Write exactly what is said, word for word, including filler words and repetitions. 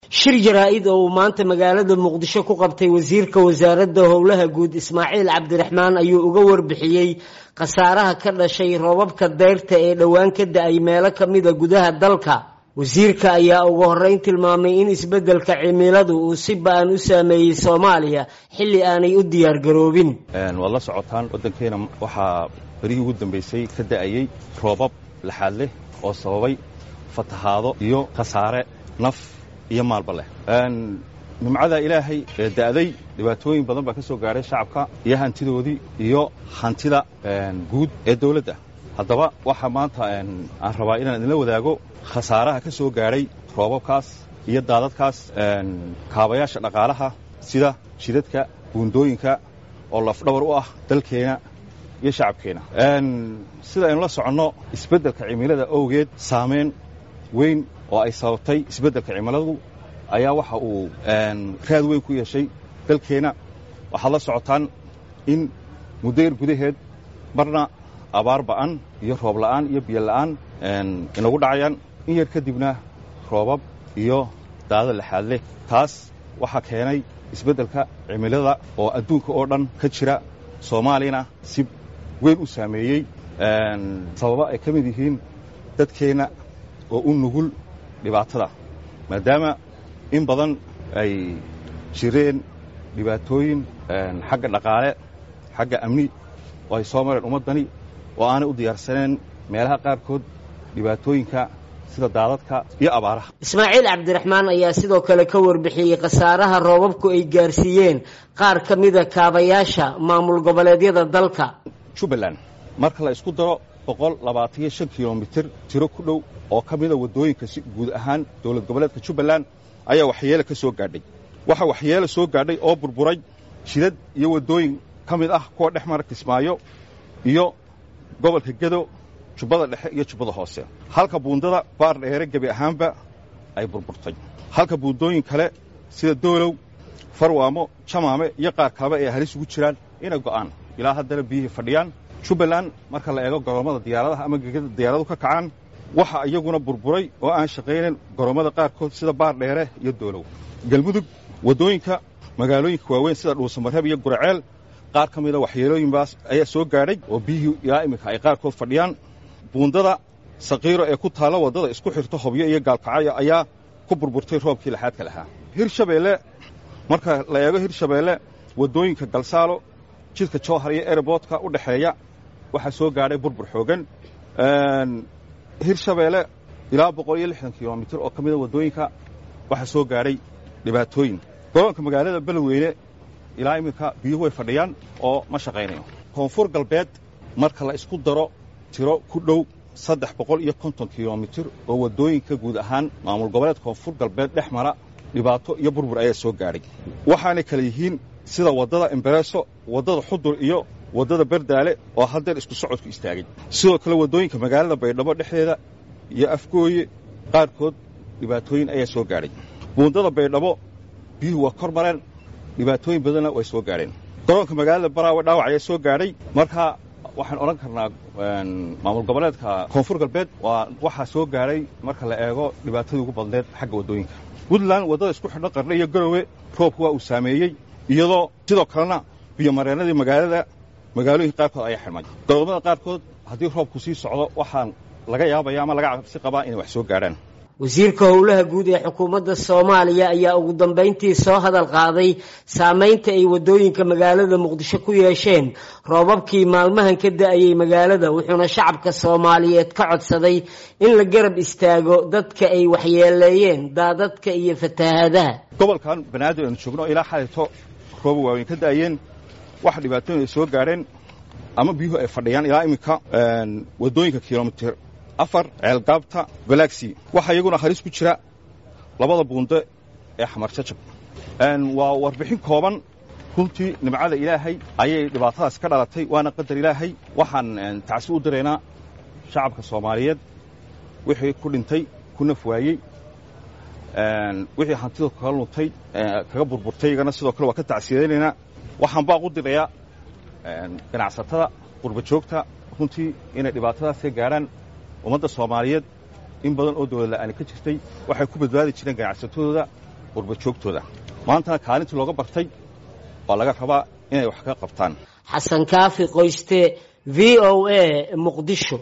Shir jaraa'id oo uu maanta magaalada Muqdisho ku qabtay wasiirka wasaaradda howlaha guud Ismaaciil Cabdiraxmaan ayuu uga warbixiyey khasaaraha ka dhashay roobabka dayrta ee dhowaan ka da-ay meelo ka mida gudaha dalka. Wasiirka ayaa ugu horreyn tilmaamay in isbeddelka cimiladu uu si ba-an u saameeyey Soomaaliya xilli aanay u diyaar garoobin. Waad la socotaan, waddankeena waxaa berihii ugu dambaysay ka da'ayey roobab laxaad leh oo sababay fatahaado iyo khasaare naf iyo maalba leh. Nimcada Ilaahay ee da'day dhibaatooyin badan baa ka soo gaadhay shacabka iyo hantidoodii iyo hantida guud ee dawladda. Haddaba waxaa maanta aan rabaa inaan idinla wadaago khasaaraha ka soo gaadhay roobabkaas iyo daadadkaas kaabayaasha dhaqaalaha sida jidadka, buundooyinka oo lafdhabar u ah dalkeena iyo shacabkeena. Sida aynu la soconno, isbeddelka cimilada owgeed saamayn weyn oo ay sababtay isbeddelka cimiladu ayaa waxa uu raad weyn ku yeeshay dalkeenna. Waxaad la socotaan in muddo yar gudaheed marna abaar ba'an iyo roob la'aan iyo biyo la'aan inagu dhacayaan, in yar kadibna roobab iyo daadad laxaad leh. Taas waxaa keenay isbeddelka cimilada oo adduunka oo dhan ka jira, Soomaaliyana si weyn u saameeyey, sababo ay ka mid yihiin dadkeenna oo u nugul dhibaatada, maadaama in badan ay jireen dhibaatooyin xagga dhaqaale, xagga amni oo ay soo mareen ummaddani oo aanay u diyaarsaneen meelaha qaarkood dhibaatooyinka sida daadadka iyo abaaraha. Ismaaciil Cabdiraxmaan ayaa sidoo kale ka warbixiyey khasaaraha roobabku ay gaarsiiyeen qaar ka mida kaabayaasha maamul goboleedyada dalka. Jubbaland marka la isku daro boqol labaataniyo shan kilomitir tiro ku dhow oo ka mida waddooyinka si guud ahaan dowlad goboleedka Jubbaland ayaa waxyeele ka soo gaadhay. Waxaa waxyeele soo gaadhay oo burburay jidad iyo waddooyin ka mid ah kuwa dhex mara Kismaayo iyo gobolka Gedo, Jubbada Dhexe iyo Jubbada Hoose, halka buundada Baar Dheere gebi ahaanba ay burburtay, halka buundooyin kale sida Doolow, Farwaamo, Jamaame iyo qaar kaleba ay halis ugu jiraan inay go'aan, ilaa haddana biyihii fadhiyaan. Jubbaland marka la eego goroommada diyaaradaha ama gegada diyaaradu ka kacaan, waxa iyaguna burburay oo aan shaqaynayn goroommada qaarkood sida Baar Dheere iyo Doolow. Galmudug waddooyinka magaalooyinka waaweyn sida Dhuusamareeb iyo Guraceel qaar ka mida waxyeelooyinbaas ayaa soo gaadhay oo biyihii ilaa iminka ay qaarkood fadhiyaan. Buundada Saqiiro ee ku taalla waddada isku xirto Hobyo iyo Gaalkacyo ayaa ku burburtay roobkii laxaadka lahaa. Hirshabeelle marka la eego, Hirshabeelle waddooyinka Galsaalo, jidka Jowhar iyo ereboodka u dhexeeya waxaa soo gaadhay burbur xoogan. Hirshabeelle ilaa boqol iyo lixdan kilomitir oo ka mida waddooyinka waxaa soo gaadhay dhibaatooyin. Garoonka magaalada Beledweyne ilaa iminka biyuhu way fadhiyaan oo ma shaqaynayo. Koonfur Galbeed marka la isku daro tiro ku dhow saddex boqol iyo konton kilomitir oo waddooyinka guud ahaan maamul goboleed Koonfur Galbeed dhex mara dhibaato iyo burbur ayaa soo gaadhay, waxaanay kale yihiin sida waddada Embareso, waddada Xudur iyo waddada Berdaale oo haddeer isku socodku istaagay. Sidoo kale waddooyinka magaalada Baydhabo dhexdeeda iyo Afgooye qaarkood dhibaatooyin ayaa soo gaadhay. Buundada Baydhabo biyuhu waa kor mareen, dhibaatooyin badanna way soo gaadheen. Garoonka magaalada Baraawe dhaawac ayaa soo gaadhay. Marka waxaan odhan karnaa maamul goboleedka Koonfur Galbeed waa waxaa soo gaadhay marka la eego dhibaatadii ugu badneed xagga waddooyinka. Puntland waddada isku xidho Qardhe iyo Garowe roobku waa uu saameeyey, iyadoo sidoo kalena biyomareennadii magaalada magaalooyinka qaarkood ayaa xidhmay. Garoomada qaarkood haddii roobku sii socdo waxaan laga yaabaya ama laga cabsi qabaa inay wax soo gaadhaan. Wasiirka howlaha guud ee xukuumadda Soomaaliya ayaa ugu dambeyntii soo hadal qaaday saameynta ay waddooyinka magaalada Muqdisho ku yeesheen roobabkii maalmahan ka da-ayay magaalada, wuxuuna shacabka Soomaaliyeed ka codsaday in la garab istaago dadka ay waxyeeleeyeen daadadka iyo fatahaadaha. Gobolkan Banaadir aynu joogno ilaa xalayto rooba waaweyn ka da'ayeen, waxa dhibaatooyin ay soo gaadheen ama biyuhu ay fadhiyaan ilaa iminka waddooyinka kilomitir afar, Ceelgaabta, Galaxy. Waxaa iyaguna halis ku jira labada buundo ee Xamar Jajab. Waa warbixin kooban. Runtii nimcada Ilaahay ayay dhibaatadaas ka dhalatay, waana qadar Ilaahay. Waxaan tacsi u diraynaa shacabka Soomaaliyeed wixii ku dhintay, ku naf waayey, wixii hantida kaga luntay, kaga burburtay, iyagana sidoo kale waa ka tacsiyadaynaynaa. Waxaan baaq u dirayaa ganacsatada qurba joogta runtii inay dhibaatadaas ka gaadhaan ummadda Soomaaliyeed. In badan oo dowlad la'aani ka jirtay waxay ku badbaadi jireen ganacsatadooda qurbajoogtooda. Maantana kaalintii looga bartay baa laga rabaa inay wax ka qabtaan. Xasan Kaafi Qoyste, V O A, Muqdisho.